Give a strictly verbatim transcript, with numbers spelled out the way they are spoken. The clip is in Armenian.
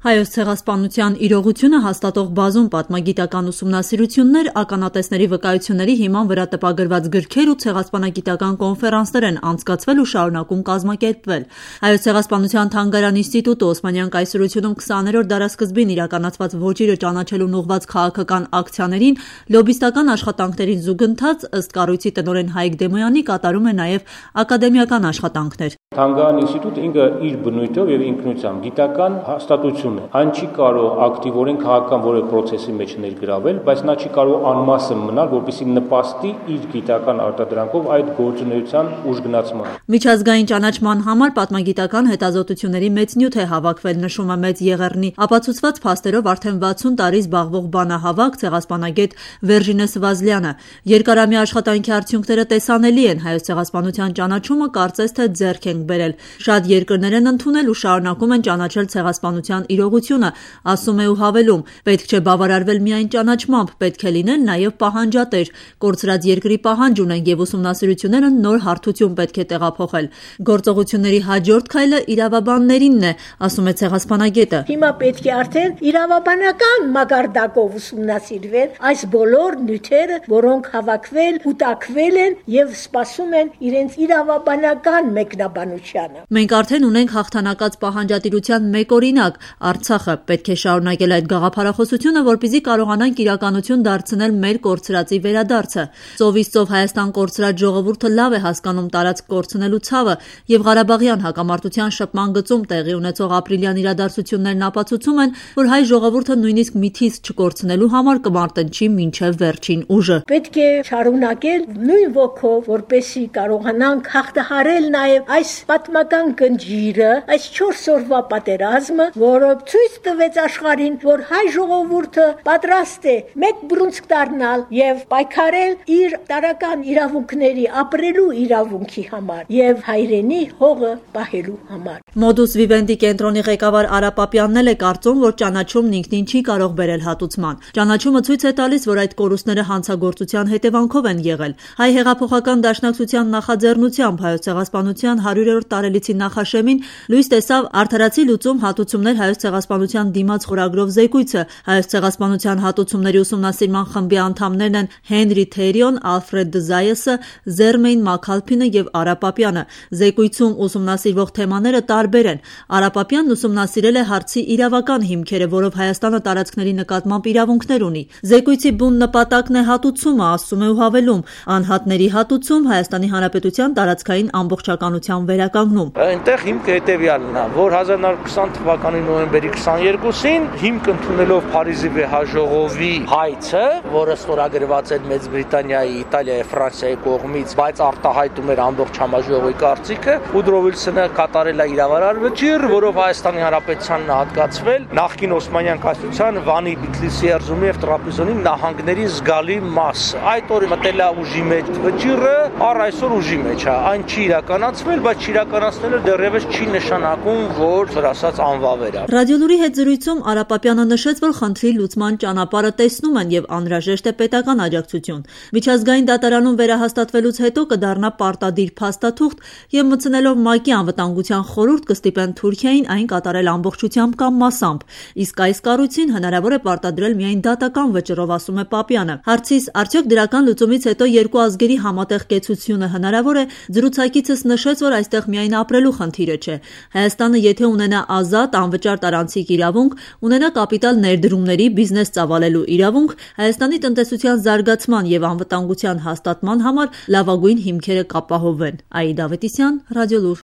Հայոց ցեղասպանության իրողությունը հաստատող բազում պատմագիտական ուսումնասիրություններ, ականատեսների վկայությունների հիման վրա տպագրված գրքեր ու ցեղասպանագիտական կոնֆերանսներ են անցկացվել ու շարունակում կազմակերպվել։ Հայոց ցեղասպանության թանգարան ինստիտուտը Օսմանյան կայսրությունում քսաներորդ դարասկզբին իրականացված ոճիրը ճանաչելուն ուղղված քաղաքական ակցիաներին, լոբիստական աշխատանքներին զուգընթաց, ըստ կառույցի տնօրեն Հայկ Դեմոյանի, կատարում է նաև ակադեմիական աշխատանքներ։ Թանգարան ինստիտուտը ինքը իր բնույթով եւ ինքնությամբ գիտական հաստատություն է։ Այն չի կարող ակտիվորեն քաղաքական որևէ process-ի մեջ ներգրավել, բայց նա չի կարող անմասն մնալ, որպեսզի նպաստի իր գիտական արտադրանքով այդ գործունեության ուժգնացմանը։ Միջազգային ճանաչման համար պատմագիտական հետազոտությունների մեծ նյութ է հավաքվել, նշում է Մեծ Եղեռնի ապացուցված փաստերով արդեն վաթսուն տարի զբաղվող բանահավաք ցեղասպանագետ Վերժինես Վազլյանը։ Երկարամյա աշխատանքի արդյունքները տեսանելի են, հայոց ցեղասպանության ճանաչումը կարծես թե ձեռք են բերել։ Շատ երկրներ են ընդունել ու շարունակում են ճանաչել ցեղասպանության իրողությունը, ասում է ու հավելում. պետք չէ բավարարվել միայն ճանաչմամբ, պետք է լինել նաև պահանջատեր։ Կորցրած երկրի պահանջ ունենք եւ ուսումնասիրությունները նոր հարթություն պետք է տեղափոխել։ Գործողությունների հաջորդ քայլը իրավաբաններինն է, ասում է ցեղասպանագետը։ Հիմա պետք է արդեն իրավաբանական մակարդակով ուսումնասիրվել այս բոլոր նյութերը, որոնք հավաքվել, կուտակվել են եւ սպասում են իրենց իրավաբանական մեկնաբանությանը։ Մենք արդեն ունենք հաղթանակած պահանջատիրության մեկ օրինակ՝ Արցախը։ Պետք է շարունակել այդ գաղափարախոսությունը, որպեսզի կարողանանք իրականություն դարձնել մեր կորցրածի վերադարձը։ Ծովից ծով Հայաստան կորցրած ժողովուրդը լավ է հասկանում տարածք կորցնելու ցավը եւ Ղարաբաղյան հակամարտության շփման գծում տեղի ունեցող ապրիլյան իրադարձություններն ապացուցում են, որ հայ ժողովուրդը նույնիսկ միթից չկորցնելու համար կմարտնչի մինչեւ վերջին ուժը։ Պետք է շարունակել նույն ոգով, որպեսզի կարողանանք հաղթահարել նաև այս պատմական գնջիրը, այս չորս օրվա պատերազմը, որը ցույց տվեց աշխարհին, որ հայ ժողովուրդը պատրաստ է մեկ բռունցք դառնալ եւ պայքարել իր տարական իրավունքների ապրելու իրավունքի համար եւ հայրենի հողը պահելու համար։ Modus Vivendi կենտրոնի ղեկավար Արա Պապյանն էլ է կարծում, որ ճանաչումն ինքնին չի կարող բերել հատուցման։ Ճանաչումը ցույց է տալիս, որ այդ կորուստները հանցագործության հետևանքով են եղել։ Հայ հեղափոխական դաշնակցության նախաձեռնությամբ հայոց ցեղասպանության հարյուրերորդ տարելիցի նախաշեմին լույս տեսավ «Արդարացի լուծում. հատուցումներ հայոց ցեղասպանության դիմաց» խորագրով զեկույցը։ Հայոց ցեղասպանության հատուցումների ուսումնասիրման խմբի անդամներն են Հենրի Թերիոն, Ալֆրեդ Դզայեսը, Զերմեյն Մաքալփինը եւ Արա Պապյանը։ Զեկույցում ուսումնասիրվող թեմաները տարբեր են։ Արա Պապյանն ուսումնասիրել է հարցի իրավական հիմքերը, որով Հայաստանը տարածքների նկատմամբ իրավունքներ ունի։ Զեկույցի բուն նպատակն է հատուցումը, ասում է ու հավելում. անհատների հատուցում Հայաստանի Հանրապետության տարածքային ամբողջականության վերականգնում։ Այնտեղ հիմքը հետևյալն է, որ հազար նոր քսան թվականի նոյեմբերի քսաներկուսին հիմք ընդունելով Փարիզի վեհաժողովի հայցը, որը ստորագրված էր Մեծ Բրիտանիայի, Իտալիայի, Ֆրանսիայի կողմից, բայց արտահայտում էր ամբողջ համաժողովի կարծիքը, Ուդրո Վիլսոնը կատարել է իրավարար վճիռ, որով Հայաստանի Հանրապետությանն հատկացվել նախկին Օսմանյան կայսրության Վանի, Բիթլիսի, Էրզրումի եւ Տրապիզոնի նահանգների զգալի մասը։ Այդ օրը մտել է ուժի մեջ վճիռը, առ այսօր ուժի մեջ է։ Այն չի իրականացվել, բայց իրականացնելը դեռևս չի նշանակում, որ ասած անվավեր է։ Ռադիոլուրի հետ զրույցում Արա Պապյանը նշեց, որ խնդրի լուծման ճանապարհը տեսնում են եւ անհրաժեշտ է պետական աջակցություն։ Միջազգային դատարանում վերահաստատվելուց հետո կդառնա պարտադիր փաստաթուղթ եւ մտցնելով ՄԱԿ-ի անվտանգության խորհուրդ կստիպեն Թուրքիային այն կատարել ամբողջությամբ կամ մասամբ։ Իսկ այս կառույցին հնարավոր է պարտադրել միայն դատական վճռով, ասում է Պապյանը։ Հարցիս արդյոք դրական լուծումից հետո երկու ազգերի համատեղ կեցությունը հնարավոր է, զրուցակիցս նշեց, որ այստեղ միայն ապրելու խնդիրը չէ։ Հայաստանը եթե ունենա ազատ, անվճար տարանցիկ իրավունք, ունենա կապիտալ ներդրումների, բիզնես ծավալելու իրավունք, Հայաստանի տնտեսության զարգացման եւ անվտանգության հաստատման համար լավագույն հիմքերը կապահովվեն։ Աիդա Ավետիսյան, Ռադիոլուր։